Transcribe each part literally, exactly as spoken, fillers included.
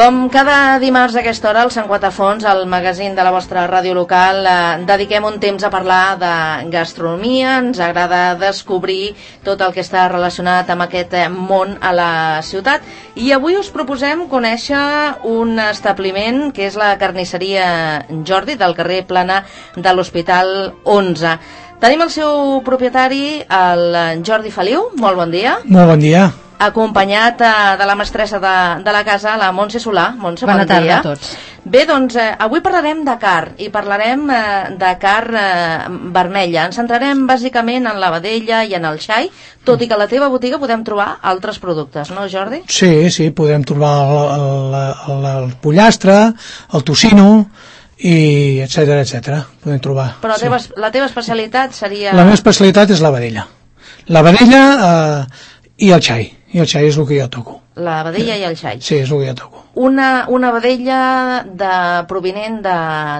Com cada dimarts a aquesta hora, al Sant Quatre Fons, al magazín de la vostra ràdio local, eh, dediquem un temps a parlar de gastronomia. Ens agrada descobrir tot el que està relacionat amb aquest món a la ciutat. I avui us proposem conèixer un establiment que és la carnisseria Jordi, del carrer Plana de l'Hospital onze. Tenim el seu propietari, el Jordi Feliu. Molt bon dia. Molt bon dia. Acompanyat eh, de la mestressa de, de la casa, la Montse Solà. Montse, Bona bon dia. tarda a tots. Bé, doncs, eh, avui parlarem de carn, i parlarem eh, de carn eh, vermella. Ens centrarem bàsicament en la vedella i en el xai, tot i que a la teva botiga podem trobar altres productes, no, Jordi? Sí, sí, podem trobar el, el, el, el pollastre, el tocino, i etcètera, etcètera. Podem trobar. Però la, sí. teva, la teva especialitat seria... La meva especialitat és la vedella. La vedella eh, i el xai. I el xai és el que jo toco. La vedella i el xai. Sí, és el que jo toco. Una, una vedella de, provinent de...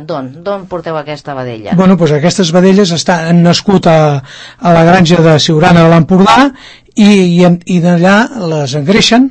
d'on? D'on porteu aquesta vedella? Bueno, doncs aquestes vedelles estan, han nascut a, a la granja de Siurana de l'Empordà i, i, i d'allà les engreixen,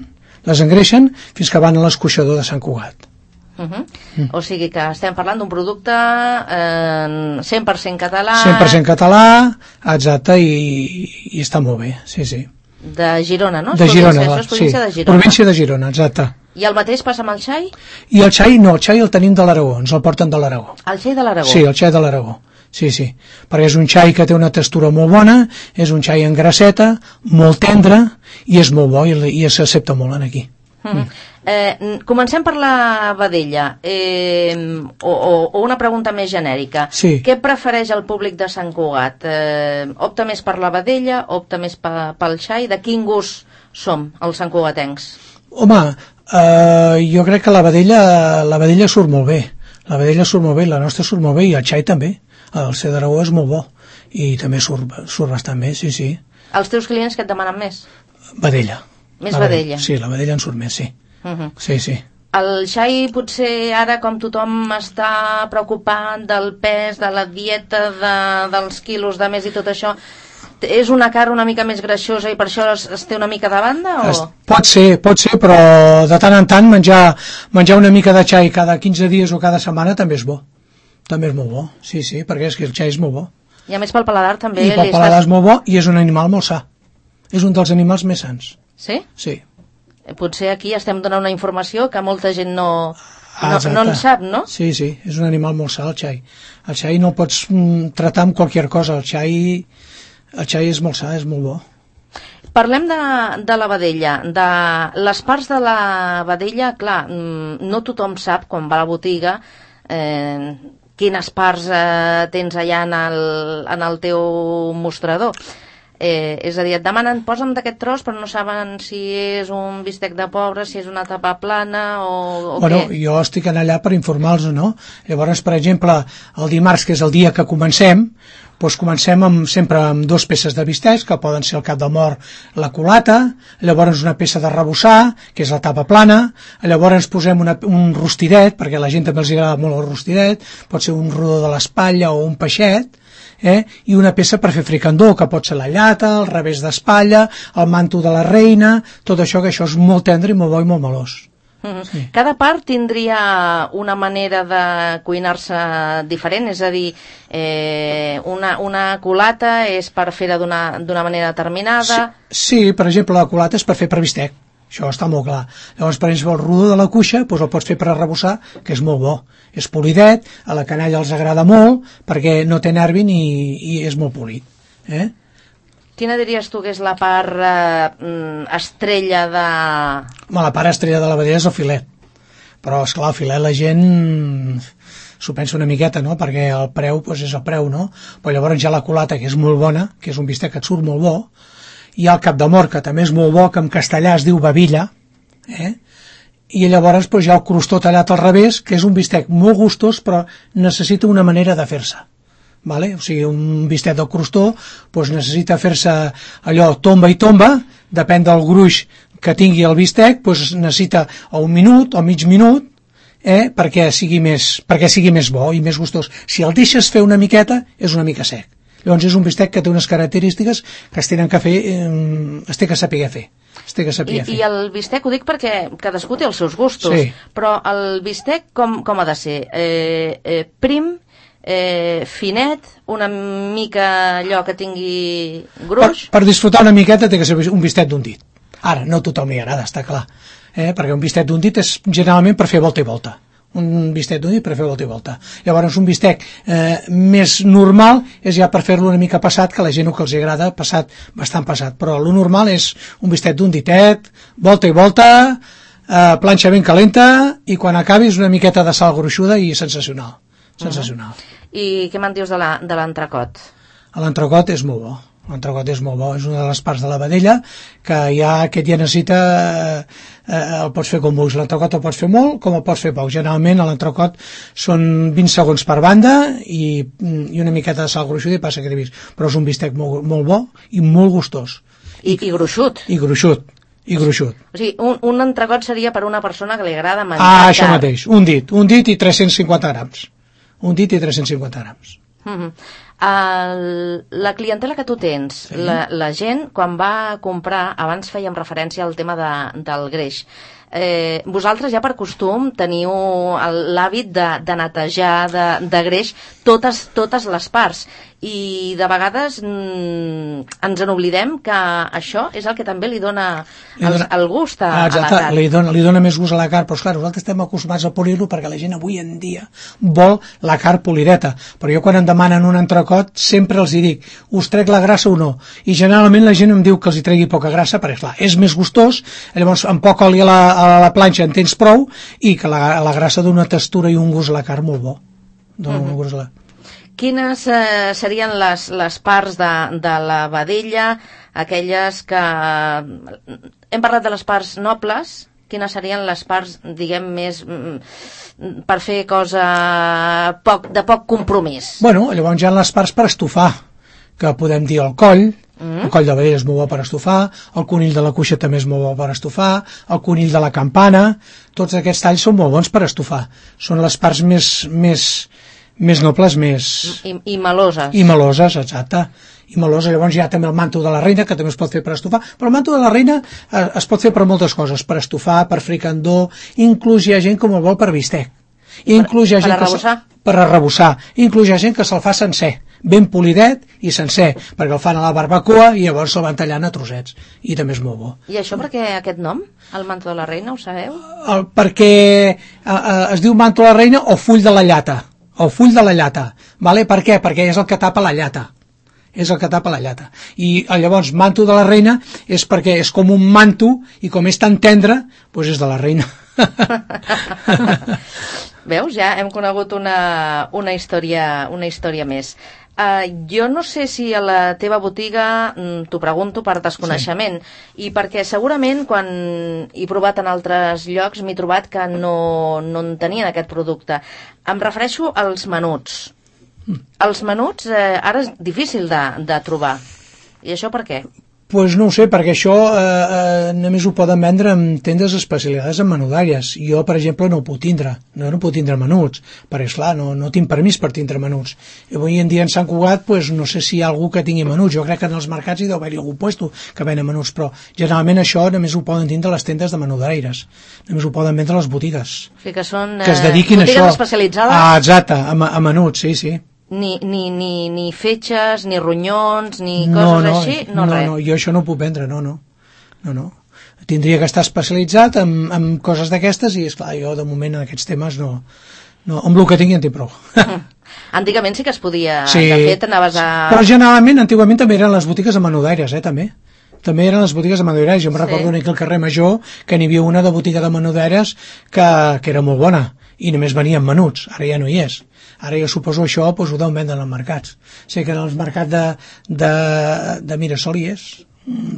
les engreixen fins que van a l'escorxador de Sant Cugat. Uh -huh. mm. O sigui que estem parlant d'un producte eh, cent per cent català... cent per cent català, exacte, i, i està molt bé, sí, sí. De Girona, no? De Girona, Això és província sí. de Girona. Província de Girona, exacte. I el mateix passa amb el xai? I el xai no, el xai el tenim de l'Aragó, ens el porten de l'Aragó. El xai de l'Aragó? Sí, el xai de l'Aragó, sí, sí. Perquè és un xai que té una textura molt bona, és un xai en grasseta, molt tendre, i és molt bo, i, i s'accepta molt en aquí. Mm. Mm. Eh, comencem per la vedella, eh, o, o, o una pregunta més genèrica. Sí. Què prefereix el públic de Sant Cugat? Eh, opta més per la vedella, opta més pa, pel xai? De quin gust som els santcugatencs? Home, eh, jo crec que la vedella, la vedella surt molt bé. La vedella surt molt bé, la nostra surt molt bé, i el xai també. El xai d'Aragó és molt bo, i també surt, surt bastant bé, sí, sí. Els teus clients que et demanen més? Vedella. Més la vedella? Sí, la vedella en surt més, sí. Uh -huh. Sí, sí. El xai, potser ara, com tothom està preocupat del pes, de la dieta, de, dels quilos de més i tot això, és una carn una mica més greixosa i per això es, es té una mica de banda? O? Es, pot ser, pot ser, però de tant en tant menjar, menjar una mica de xai cada quinze dies o cada setmana també és bo. També és molt bo, sí, sí, perquè és que el xai és molt bo. I a més pel paladar també... I pel paladar estàs... és molt bo, i és un animal molt sa. És un dels animals més sans. Sí? Sí. Potser aquí estem donant una informació que molta gent no, no, no en sap, no? Sí, sí, és un animal molt sa, el xai. El xai no el pots mm, tratar amb qualsevol cosa, el xai, el xai és molt sa, és molt bo. Parlem de, de la vedella, de les parts de la vedella, clar, no tothom sap quan va a la botiga eh, quines parts eh, tens allà en el, en el teu mostrador. Eh, és a dir, et demanen, posa'm d'aquest tros, però no saben si és un bistec de pobre, si és una tapa plana o, o bueno, què. Jo estic allà per informar-los, no? Llavors, per exemple, el dimarts, que és el dia que comencem, doncs comencem amb, sempre amb dues peces de bistecs, que poden ser el cap de mort, la culata, llavors una peça de rebossar, que és la tapa plana, llavors posem una, un rostidet, perquè a la gent també els agrada molt el rostidet, pot ser un rodó de l'espatlla o un peixet, eh? I una peça per fer fricandó, que pot ser la llata, el revés d'espatlla, el manto de la reina, tot això, que això és molt tendre i molt bo i molt melós. Mm-hmm. Sí. Cada part tindria una manera de cuinar-se diferent, és a dir, eh, una, una culata és per fer-la d'una manera determinada. Sí, sí, per exemple, la culata és per fer per bistec, això està molt clar. Llavors, per exemple, el rodó de la cuixa doncs el pots fer per arrebossar, que és molt bo, és polidet, a la canalla els agrada molt perquè no té nervi ni, i és molt polit, eh? Quina diries tu que és la part eh, estrella de... Home, la part estrella de la vedella és el filet, però esclar, el filet la gent s'ho pensa una miqueta, no?, perquè el preu doncs, és el preu, no? Però llavors ja la culata, que és molt bona, que és un bistec que et surt molt bo, hi ha el cap de mort, que també és molt bo, que en castellà es diu babilla, eh? I llavors doncs, hi ha el crostó tallat al revés, que és un bistec molt gustós, però necessita una manera de fer-se. Vale? O sigui, un bistec del crostó doncs necessita fer-se allò tomba i tomba, depèn del gruix que tingui el bistec, doncs necessita o un minut o mig minut, eh, perquè sigui més perquè sigui més bo i més gustós. Si el deixes fer una miqueta, és una mica sec. Llavors és un bistec que té unes característiques que es tenen que fer, eh, es té que saber fer. Es té que saber I, fer. I el bistec, ho dic perquè cadascú té els seus gustos, sí. Però el bistec com, com ha de ser? Eh, eh, prim, eh, finet, una mica allò que tingui gruix? Per, per disfrutar una miqueta té que ser un bistec d'un dit. Ara, no a tothom li agrada, està clar, eh? Perquè un bistec d'un dit és generalment per fer volta i volta. Un bistec d'un dit per fer volta i volta. Llavors un bistec eh, més normal és ja per fer-lo una mica passat, que a la gent el que els agrada passat, bastant passat, però lo normal és un bistec d'un ditet, volta i volta, eh, planxa ben calenta, i quan acabis una miqueta de sal gruixuda i sensacional, sensacional. Uh-huh. I què me'n dius de l'entrecot? L'entrecot és molt bo. L'entrecot és molt bo, és una de les parts de la vedella que ja aquest ja necessita eh, el pots fer com vulguis, l'entrecot el pots fer molt com el pots fer poc, generalment a l'entrecot són vint segons per banda i, i una miqueta de sal gruixuda i passa que t'he vist, però és un bistec molt, molt bo i molt gustós i, i gruixut i gruixut i gruixut. O sigui, un, un entrecot seria per una persona que li agrada menjar ah, això mateix, un dit, un dit i tres-cents cinquanta grams un dit i tres-cents cinquanta grams. Uh-huh. El, la clientela que tu tens, sí. la, la gent quan va comprar, abans fèiem referència al tema de, del greix, eh, vosaltres ja per costum teniu l'hàbit de, de netejar de, de greix totes, totes les parts i de vegades mm, ens en oblidem que això és el que també li dona, li dona el, el gust a, ah, exacte, a la carn. Li dona, li dona més gust a la carn, però esclar, nosaltres estem acostumats a polir-lo perquè la gent avui en dia vol la carn polideta, però jo quan em demanen un entrecot sempre els hi dic, us trec la grassa o no? I generalment la gent em diu que els hi tregui poca grassa perquè clar, és més gustós, llavors amb poc oli a la, a la planxa en tens prou i que la, la grassa dona una textura i un gust a la carn molt bo. Dona uh-huh. un gust a la... Quines eh, serien les, les parts de, de la vedella, aquelles que... Hem parlat de les parts nobles, quines serien les parts, diguem, més per fer cosa poc, de poc compromís? Bueno, llavors hi ha les parts per estofar, que podem dir el coll, mm. el coll de vedella és molt bo per estofar, el conill de la cuixa també és molt bo per estofar, el conill de la campana, tots aquests talls són molt bons per estofar. Són les parts més... més més nobles, més... I, i meloses. I meloses, exacte. I meloses, llavors hi ha també el manto de la reina, que també es pot fer per estofar, però el manto de la reina eh, es pot fer per moltes coses, per estofar, per fricandó, inclús hi ha gent com el vol per bistec. I inclús hi ha per, gent per arrebossar? Que per arrebossar. Inclús hi ha gent que se'l fa sencer, ben polidet i sencer, perquè el fan a la barbacoa i llavors se'l van tallant a trossets. I també és molt bo. I això per què aquest nom, el manto de la reina, ho sabeu? El, perquè eh, eh, es diu manto de la reina o full de la llata. El full de la llata, vale? Per què? Perquè és el que tapa la llata, és el que tapa la llata, i llavors manto de la reina és perquè és com un manto i com és tan tendre, doncs és de la reina. Veus? Ja hem conegut una, una, història, una història més. Uh, jo no sé si a la teva botiga, mm, t'ho pregunto per desconeixement, sí. I perquè segurament quan he provat en altres llocs m'he trobat que no, no en tenien aquest producte. Em refereixo als menuts. Mm. Els menuts eh, ara és difícil de, de trobar. I això per què? Pues no ho sé, perquè això eh, eh, només ho poden vendre en tendes especialitzades en menudàries. Jo, per exemple, no ho puc tindre. No, no puc tindre menuts, perquè, esclar, no, no tinc permís per tindre menuts. I avui en dia en Sant Cugat, pues, no sé si hi ha algú que tingui menuts. Jo crec que en els mercats hi deu haver-hi algun puesto que venen menuts, però generalment això només ho poden tindre les tendes de menudaires. Només ho poden vendre les botigues. O sigui que són eh, que es dediquin botigues a això. Especialitzades? Ah, exacte, a, a menuts, sí, sí. Ni, ni, ni, ni fetges, ni ronyons, ni no, coses no, així? No, no, res. no, jo això no ho puc vendre, no, no. No, no. Tindria que estar especialitzat en, en coses d'aquestes i, esclar, jo de moment en aquests temes no... no amb el que tingui en tinc prou. Antigament sí que es podia... Sí, de fet, anaves a... però generalment, antigament també eren les botigues de menudaires, eh, també. També eren les botigues de menudaires. Jo em sí. recordo aquí al carrer Major que n'hi havia una de botiga de menudaires que, que era molt bona i només venien menuts, ara ja no hi és. Ara jo suposo això doncs, ho deuen vendre als mercats. Sé que en els mercats de, de, de Mirasol hi és.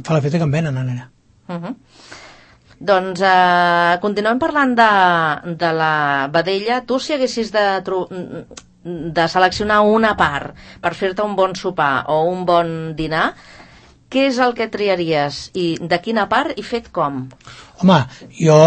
Fa l'efecte que en venen ara. Uh -huh. Doncs eh, continuem parlant de, de la vedella. Tu, si haguessis de, de seleccionar una part per fer-te un bon sopar o un bon dinar, què és el que triaries i de quina part i fet com? Home, jo,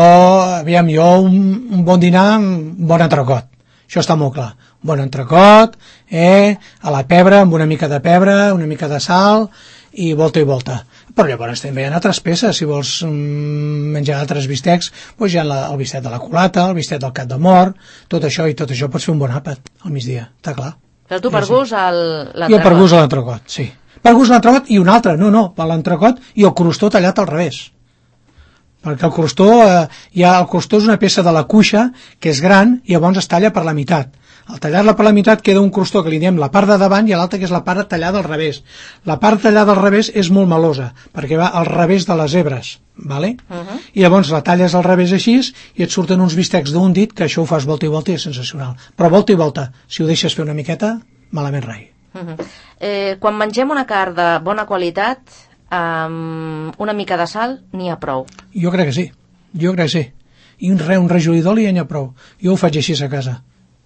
aviam, jo un, un bon dinar, un bon entrecot. Això està molt clar. bon entrecot, eh, a la pebre, amb una mica de pebre, una mica de sal, i volta i volta. Però llavors també hi ha altres peces, si vols mm, menjar altres bistecs, doncs hi ha la, el bistec de la culata, el bistec del cap de mort, tot això, i tot això pots fer un bon àpat al migdia, està clar. Però tu per sí, gust l'entrecot. Jo per gust l'entrecot, sí. Per gust l'entrecot i un altre, no, no, per l'entrecot i el crostó tallat al revés. Perquè el crostó, eh, ja, el crostó és una peça de la cuixa que és gran i llavors es talla per la meitat. Al tallar-la per la meitat queda un crostó que li diem la part de davant i l'altra que és la part tallada al revés. La part tallada al revés és molt melosa perquè va al revés de les zebres, ¿vale? Uh -huh. I llavors la talles al revés així i et surten uns bistecs d'un dit que això ho fas volta i volta i és sensacional. Però volta i volta, si ho deixes fer una miqueta, malament rai. Uh -huh. eh, quan mengem una carn de bona qualitat, amb una mica de sal n'hi ha prou. Jo crec que sí, jo crec que sí. I un, re, un rajolí d'oli ja n'hi ha prou. Jo ho faig així a casa.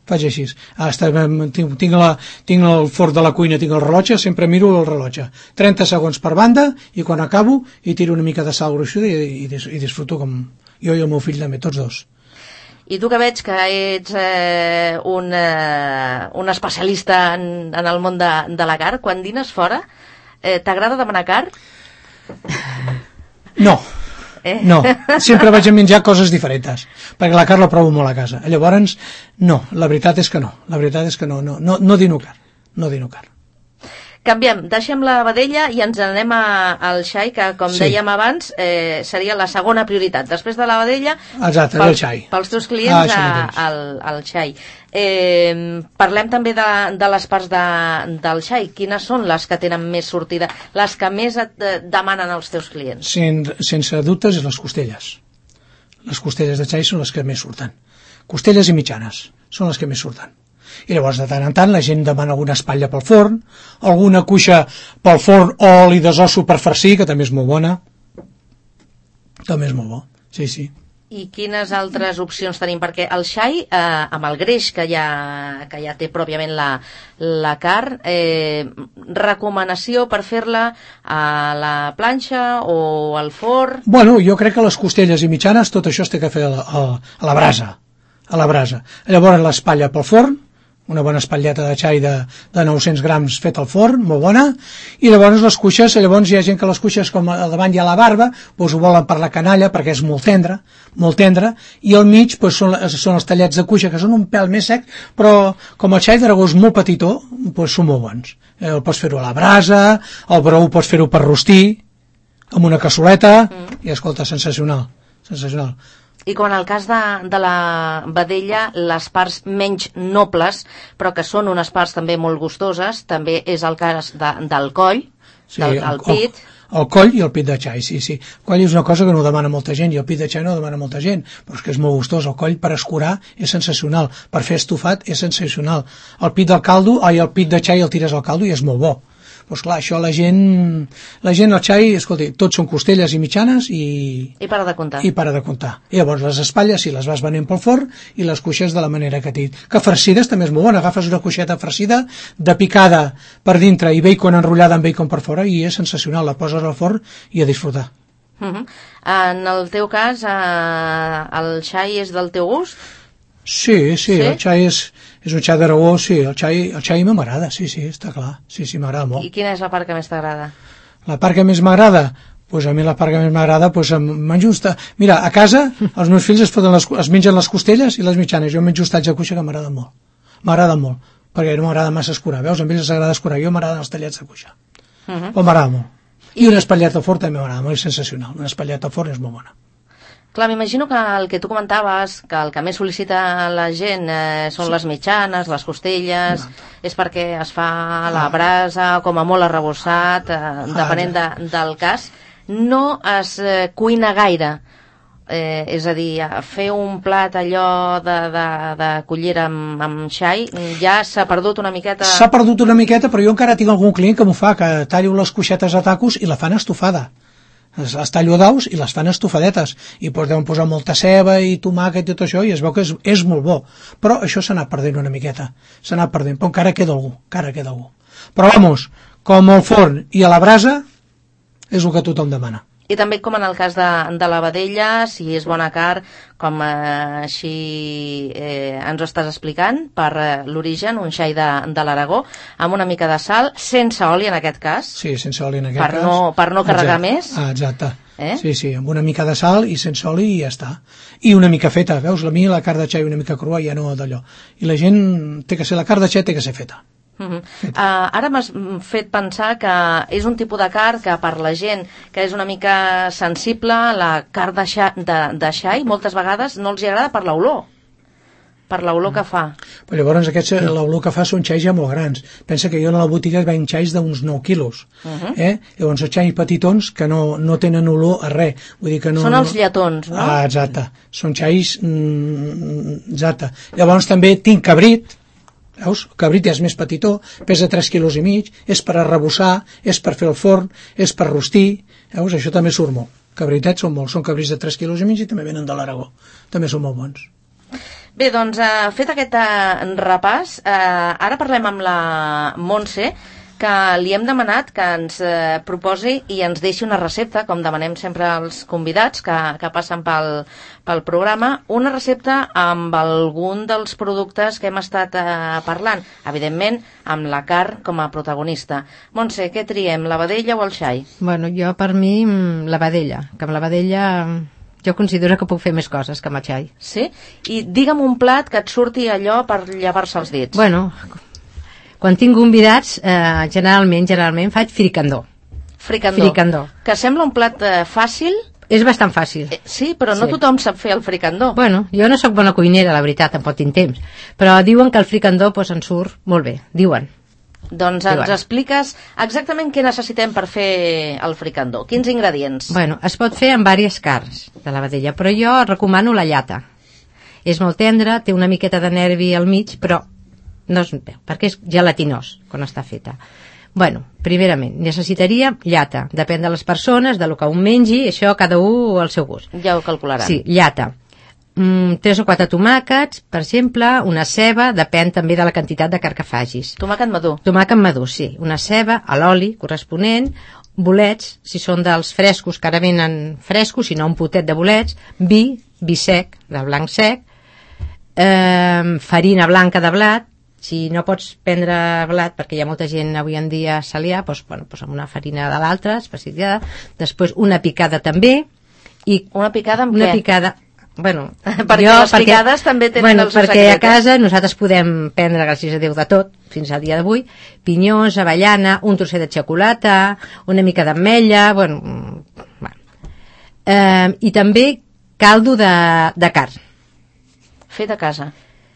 Faig així. Hasta, tinc, tinc, la, tinc el forn de la cuina, tinc el rellotge, sempre miro el rellotge. trenta segons per banda i quan acabo hi tiro una mica de sal gruixuda i, i, i disfruto com jo i el meu fill també, tots dos. I tu que veig que ets eh, un, eh, un especialista en, en el món de, de la carn, quan dines fora, eh, t'agrada demanar carn? No. Eh? No, sempre vaig a menjar coses diferents, perquè la carn la provo molt a casa. Llavors, no, la veritat és que no. La veritat és que no, no, no, no dino carn. No dino carn. Canviem, deixem la vedella i ens anem a, al xai, que com sí. dèiem abans eh, seria la segona prioritat. Després de la vedella, exacte, pel, el xai. Pels teus clients, ah, a, al, al xai. Eh, parlem també de, de les parts de, del xai. Quines són les que tenen més sortida, les que més et eh, demanen els teus clients? Sen, sense dubtes, les costelles. Les costelles de xai són les que més surten. Costelles i mitjanes són les que més surten. I llavors de tant en tant la gent demana alguna espatlla pel forn, alguna cuixa pel forn o oli de zosso per farcir, que també és molt bona, també és molt bo, sí, sí. I quines altres opcions tenim? Perquè el xai, eh, amb el greix que ja, que ja té pròpiament la, la carn, eh, recomanació per fer-la a la planxa o al forn? Bueno, jo crec que les costelles i mitjanes tot això es té que fer a la, a, a la brasa, a la brasa. Llavors l'espatlla pel forn, una bona espatlleta de xai de, de nou-cents grams fet al forn, molt bona, i llavors les cuixes, llavors hi ha gent que les cuixes com a davant hi ha la barba, doncs ho volen per la canalla perquè és molt tendre, molt tendre, i al mig doncs, són, són els tallets de cuixa que són un pèl més sec, però com el xai d'Aragó és molt petitó, doncs són molt bons. El pots fer-ho a la brasa, el brou pots fer-ho per rostir, amb una cassoleta, mm. i escolta, sensacional, sensacional. I com en el cas de, de la vedella, les parts menys nobles, però que són unes parts també molt gustoses, també és el cas de, del coll, sí, del, del el, pit. El, el coll i el pit de xai, sí, sí. El coll és una cosa que no demana molta gent, i el pit de xai no demana molta gent, però és que és molt gustós. El coll per escurar és sensacional, per fer estofat és sensacional. El pit del caldo, ai, el pit de xai el tires al caldo i és molt bo. Doncs clar, això la gent, la gent al xai, escolti, tots són costelles i mitjanes i... I para de comptar. I para de comptar. I llavors les espatlles, si les vas venent pel forn, i les cuixes de la manera que t'he dit. Que farcides també és molt bona. Agafes una cuixeta farcida, de picada per dintre i bacon enrotllada amb bacon per fora, i és sensacional. La poses al forn i a disfrutar. Uh -huh. En el teu cas, eh, el xai és del teu gust? Sí, sí, sí? El xai és, és un xai d'Aragó, sí, el xai, el xai m'agrada, sí, sí, està clar, sí, sí, m'agrada molt. I quina és la part que més t'agrada? La part que més m'agrada? Pues a mi la part que més m'agrada, pues menjo usta... Mira, a casa els meus fills es, les, es mengen les costelles i les mitjanes, jo menjo hostats de cuixa que m'agrada molt, m'agrada molt, perquè no m'agrada massa escurar, veus? A ells els agrada escurar, jo m'agraden els tallets de cuixa, uh -huh. però m'agrada molt. I una espatlleta al forn també m'agrada molt, és sensacional, una espatlleta al forn és molt bona. Clar, m'imagino que el que tu comentaves, que el que més sol·licita la gent eh, són sí. les mitjanes, les costelles, no. és perquè es fa a la brasa, com a molt arrebossat, eh, ah, depenent ja. de, del cas. No es eh, cuina gaire, eh, és a dir, fer un plat allò de, de, de cullera amb, amb xai, ja s'ha perdut una miqueta... S'ha perdut una miqueta, però jo encara tinc algun client que m'ho fa, que tallo les cuixetes a tacos i la fan estofada. Les tallo a daus i les fan estofadetes i doncs deuen posar molta ceba i tomàquet i tot això i es veu que és, és molt bo, però això s'ha anat perdent una miqueta, s'ha anat perdent, però encara queda algú, encara queda algú. Però vamos, com al forn i a la brasa és el que tothom demana, I també, com en el cas de, de la vedella, si és bona carn, com eh, així eh, ens ho estàs explicant, per eh, l'origen, un xai de, de l'Aragó, amb una mica de sal, sense oli en aquest cas. Sí, sense oli en aquest per cas. No, per no carregar exacte. més. Ah, exacte. Eh? Sí, sí, amb una mica de sal i sense oli i ja està. I una mica feta, veus? A mi la carn de xai una mica crua ja no d'allò. I la gent té que ser, la carn de xai té que ser feta. Uh -huh. uh, ara m'has fet pensar que és un tipus de carn que per la gent que és una mica sensible, la carn de xai, de, de xai moltes vegades no els hi agrada per l'olor per l'olor que fa. Però llavors aquests, l'olor que fa són xais ja molt grans. Pensa que jo a la botiga veig xais d'uns nou quilos. Uh -huh. eh? Llavors són xais petitons que no, no tenen olor a res. Vull dir que no, són els lletons, no? Ah, exacte. Són xais... Mm, exacte. Llavors també tinc cabrit. Veus? El cabrit és més petitó, pesa tres quilos i mig, és per arrebossar, és per fer el forn, és per rostir. Veus? Això també surt molt. Cabritets són molts, són cabrits de tres quilos i mig i també venen de l'Aragó. També són molt bons. Bé, doncs, eh, fet aquest eh, repàs, eh, ara parlem amb la Montse, que li hem demanat que ens eh, proposi i ens deixi una recepta, com demanem sempre als convidats que, que passen pel, pel programa, una recepta amb algun dels productes que hem estat eh, parlant, evidentment amb la carn com a protagonista. Montse, què triem, la vedella o el xai? Bueno, jo per mi la vedella, que amb la vedella jo considero que puc fer més coses que amb el xai. Sí? I digue'm un plat que et surti allò per llevar-se els dits. Bueno, quan tinc convidats, eh, generalment, generalment faig fricandó. Fricandó. Fricandó. Que sembla un plat eh, fàcil. És bastant fàcil. Eh, sí, però no sí. tothom sap fer el fricandó. Bueno, jo no sóc bona cuinera, la veritat, tampoc tinc temps. Però diuen que el fricandó pues, en surt molt bé, diuen. Doncs ens expliques exactament què necessitem per fer el fricandó. Quins ingredients? Bueno, es pot fer amb diverses carns de la vedella, però jo recomano la llata. És molt tendra, té una miqueta de nervi al mig, però no es veu, perquè és gelatinós quan està feta. Bueno, primerament, necessitaria llata. Depèn de les persones, de lo que un mengi, això cada un al seu gust. Ja ho calcularan. Sí, llata. Mm, tres o quatre tomàquets, per exemple, una ceba, depèn també de la quantitat de carn que facis. Tomàquet madur. Tomàquet madur, sí. Una ceba, a l'oli corresponent, bolets, si són dels frescos, que ara venen frescos, si no un potet de bolets, vi, vi sec, de blanc sec, eh, farina blanca de blat, si no pots prendre blat, perquè hi ha molta gent avui en dia celià, doncs, bueno, doncs amb una farina de l'altra, especialitzada, després una picada també, i una picada amb una què? Picada, bueno, perquè jo, les picades perquè, també tenen bueno, el seu perquè secret. A casa nosaltres podem prendre, gràcies a Déu, de tot, fins al dia d'avui, pinyons, avellana, un trosset de xocolata, una mica d'ametlla, bueno, bueno. Eh, i també caldo de, de carn. Fet a casa.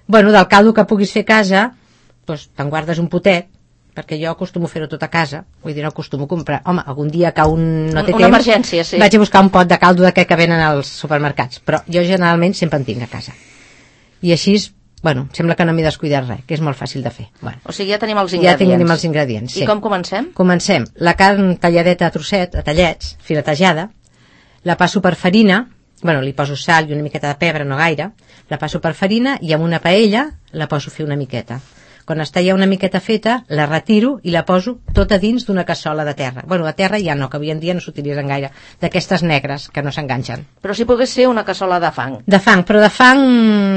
Bueno, del caldo que puguis fer a casa, doncs te'n guardes un potet, perquè jo acostumo a fer-ho tot a casa, vull dir, no acostumo a comprar. Home, algun dia que un no té una temps, emergència, sí. vaig a buscar un pot de caldo d'aquest que venen als supermercats, però jo generalment sempre en tinc a casa. I així, bueno, sembla que no m'he descuidat res, que és molt fàcil de fer. Bueno, o sigui, ja tenim els ingredients. Ja tenim els ingredients, sí. I com comencem? Comencem. La carn talladeta a trosset, a tallets, filetejada, la passo per farina, bueno, li poso sal i una miqueta de pebre, no gaire, la passo per farina i amb una paella la poso a fer una miqueta. Quan està ja una miqueta feta, la retiro i la poso tota dins d'una cassola de terra. Bueno, de terra ja no, que avui en dia no s'utilitzen gaire, d'aquestes negres que no s'enganxen. Però si pogués ser una cassola de fang. De fang, però de fang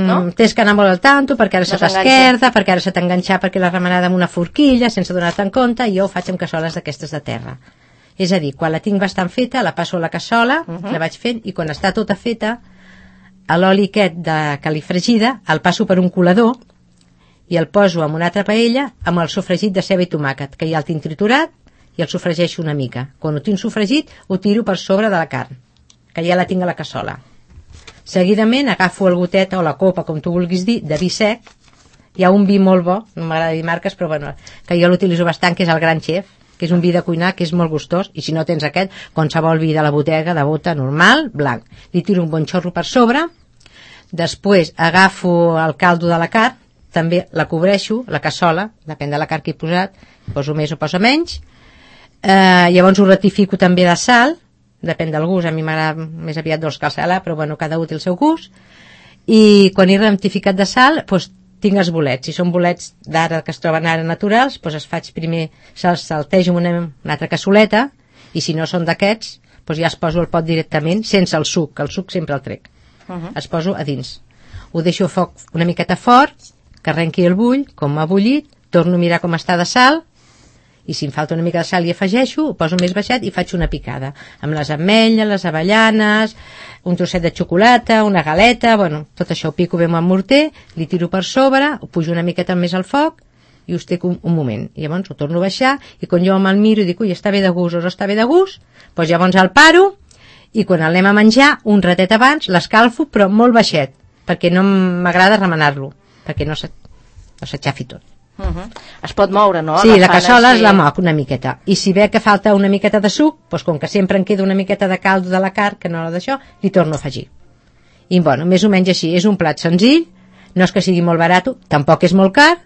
no? Tens que anar molt al tanto, perquè ara no se t'esquerda, perquè ara se t'ha enganxat, perquè l'ha remenada amb una forquilla, sense donar-te en compte, i jo ho faig amb cassoles d'aquestes de terra. És a dir, quan la tinc bastant feta, la passo a la cassola, uh -huh. la vaig fent, i quan està tota feta, a l'oli aquest de califregida, el passo per un colador, i el poso en una altra paella amb el sofregit de ceba i tomàquet, que ja el tinc triturat, i el sofregeixo una mica. Quan ho tinc sofregit, ho tiro per sobre de la carn, que ja la tinc a la cassola. Seguidament agafo el gotet o la copa, com tu vulguis dir, de vi sec. Hi ha un vi molt bo, no m'agrada dir marques, però bueno, que jo l'utilitzo bastant, que és el Gran Chef, que és un vi de cuinar que és molt gustós, i si no tens aquest, qualsevol vi de la botega, de bota normal, blanc. Li tiro un bon xorro per sobre, després agafo el caldo de la carn, també la cobreixo, la cassola, depèn de la carn que he posat, poso més o poso menys, eh, llavors ho ratifico també de sal, depèn del gust, a mi m'agrada més aviat dolç que el salà, però bueno, cada un té el seu gust, i quan he ratificat de sal, doncs tinc els bolets, si són bolets d'ara que es troben ara naturals, doncs es faig primer, se'ls saltejo en una, una altra cassoleta, i si no són d'aquests, doncs ja es poso el pot directament sense el suc, que el suc sempre el trec. Uh -huh. Es poso a dins. Ho deixo a foc una miqueta fort, que arrenqui el bull, com m'ha bullit, torno a mirar com està de sal, i si em falta una mica de sal hi afegeixo, ho poso més baixat i faig una picada amb les ametlles, les avellanes, un trosset de xocolata, una galeta, bueno, tot això ho pico bé amb el morter, li tiro per sobre, ho pujo una miqueta més al foc i us teco un, un moment, i llavors ho torno a baixar i quan jo me'l miro i dic, ui, està bé de gust o no està bé de gust, doncs llavors el paro i quan l'anem a menjar un ratet abans l'escalfo però molt baixet perquè no m'agrada remenar-lo perquè no s'aixafi tot. Uh -huh. Es pot moure, no? Sí, Agafant la cassola així... es la moc una miqueta i si ve que falta una miqueta de suc doncs com que sempre em queda una miqueta de caldo de la carn que no la d'això, li torno a afegir i bueno, més o menys així, és un plat senzill, no és que sigui molt barat, tampoc és molt car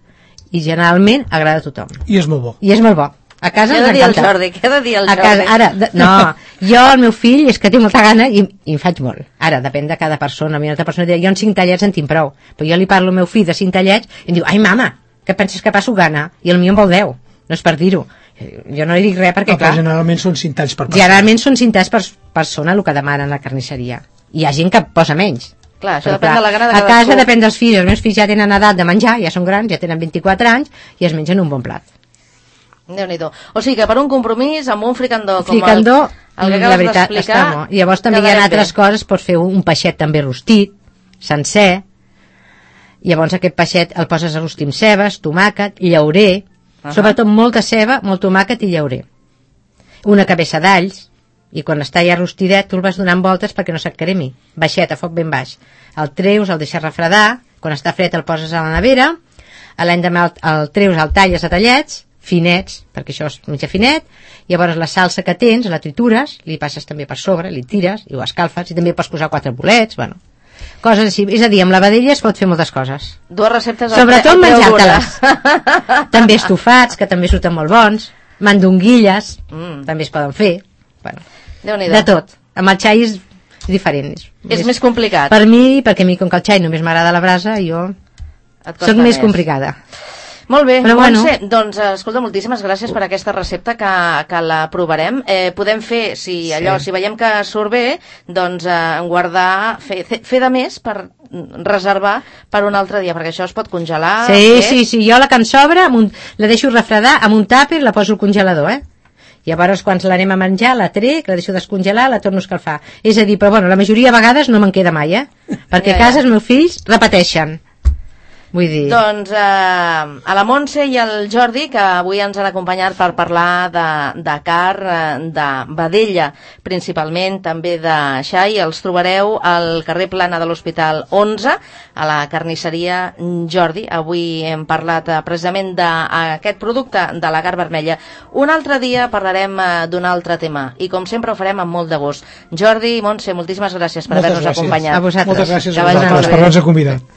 i generalment agrada a tothom i és molt bo i és molt bo. A casa ens encanta. Què ha de dir el Jordi? Què ha de dir el a casa, Jordi? ara, de, no, jo, el meu fill, és que té molta gana i, i en faig molt. Ara, depèn de cada persona. A mi una altra persona dirà, jo en cinc tallets en tinc prou. Però jo li parlo al meu fill de cinc tallets i em diu, ai, mama, que penses que passo gana? I el meu en vol deu. No és per dir-ho. Jo no li dic res perquè, no, clar... generalment són cinc talls per persona. Generalment són cinc talls per persona el que demanen a la carnisseria. Hi ha gent que posa menys. Clar, això Però, depèn clar, de la gana de a cadascú. casa depèn dels fills. Els meus fills ja tenen edat de menjar, ja són grans, ja tenen vint-i-quatre anys i es mengen un bon plat. Déu-n'hi-do. O sigui que per un compromís amb un fricandó com fricandó, el, el que la acabes veritat, d'explicar... està molt. I llavors també hi ha altres bé. Coses, pots fer un peixet també rostit, sencer, llavors aquest peixet el poses a rostir amb cebes, tomàquet, llaurer, uh -huh. sobretot molta ceba, molt tomàquet i llaurer. Una cabeça d'alls, i quan està ja rostidet tu el vas donant voltes perquè no se't cremi, baixet, a foc ben baix. El treus, el deixes refredar, quan està fred el poses a la nevera, a l'endemà el, el treus, el talles a tallets, finets, perquè això és mitja finet, i llavors la salsa que tens la tritures, li passes també per sobre, li tires i ho escalfes, i també pots posar quatre bolets, bueno, coses així. És a dir, amb la vedella es pot fer moltes coses. Dues receptes al sobretot menjar-te-les. També estofats, que també surten molt bons, mandonguilles, mm. també es poden fer, bueno, de tot. Amb el xai és diferent. És, és més, més complicat. Per mi, perquè a mi com que el xai només m'agrada la brasa, jo soc més complicada. Molt bé, però Montse, bueno. doncs escolta, moltíssimes gràcies per aquesta recepta que, que la provarem. Eh, podem fer, si allò, sí. si veiem que surt bé, doncs eh, guardar, fer, fer de més per reservar per un altre dia, perquè això es pot congelar. Sí, eh? sí, sí, jo la que em sobra un, la deixo refredar amb un tàper, la poso al congelador, eh? Llavors quan l'anem a menjar la trec, la deixo descongelar, la torno a escalfar. És a dir, però bueno, la majoria de vegades no me'n queda mai, eh? Perquè ja, ja. a casa els meus fills repeteixen. Vull dir... Doncs eh, a la Montse i al Jordi, que avui ens han acompanyat per parlar de, de carn, de vedella, principalment, també de xai, els trobareu al carrer Plana de l'Hospital onze, a la carnisseria Jordi. Avui hem parlat eh, precisament d'aquest producte, de la carn vermella. Un altre dia parlarem eh, d'un altre tema, i com sempre ho farem amb molt de gust. Jordi i Montse, moltíssimes gràcies per haver-nos acompanyat. A vosaltres. Moltes gràcies a vosaltres per haver-nos convidat.